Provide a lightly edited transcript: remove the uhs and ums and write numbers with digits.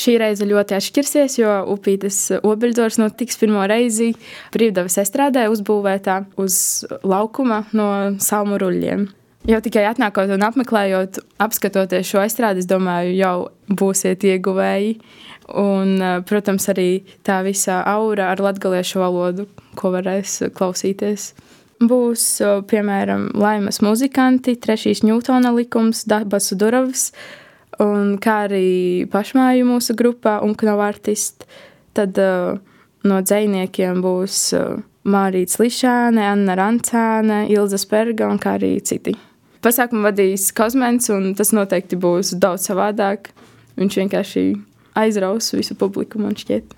Šī reize ļoti atšķirsies, jo Upītes obeļdors notiks pirmo reizi Brīvdabas estrādē uzbūvētā uz laukuma no salmu ruļļiem. Jau tikai atnākot un apmeklējot, apskatoties šo estrādi, es domāju, jau būsiet ieguvēji. Un, protams, arī tā visa aura ar latgaliešu valodu, ko varēs klausīties. Būs, piemēram, Laimas muzikanti, Trešīs Ņūtona likums, Dabasu Duravs, un kā arī pašmāju mūsu grupā un Knov artisti. Tad no dzejniekiem būs Mārīts Lišāne, Anna Rancāne, Ilza Sperga un kā arī citi. Pasākumu vadīs Kozmens, un tas noteikti būs daudz savādāk. Viņš vienkārši aizraus visu publiku, man šķiet.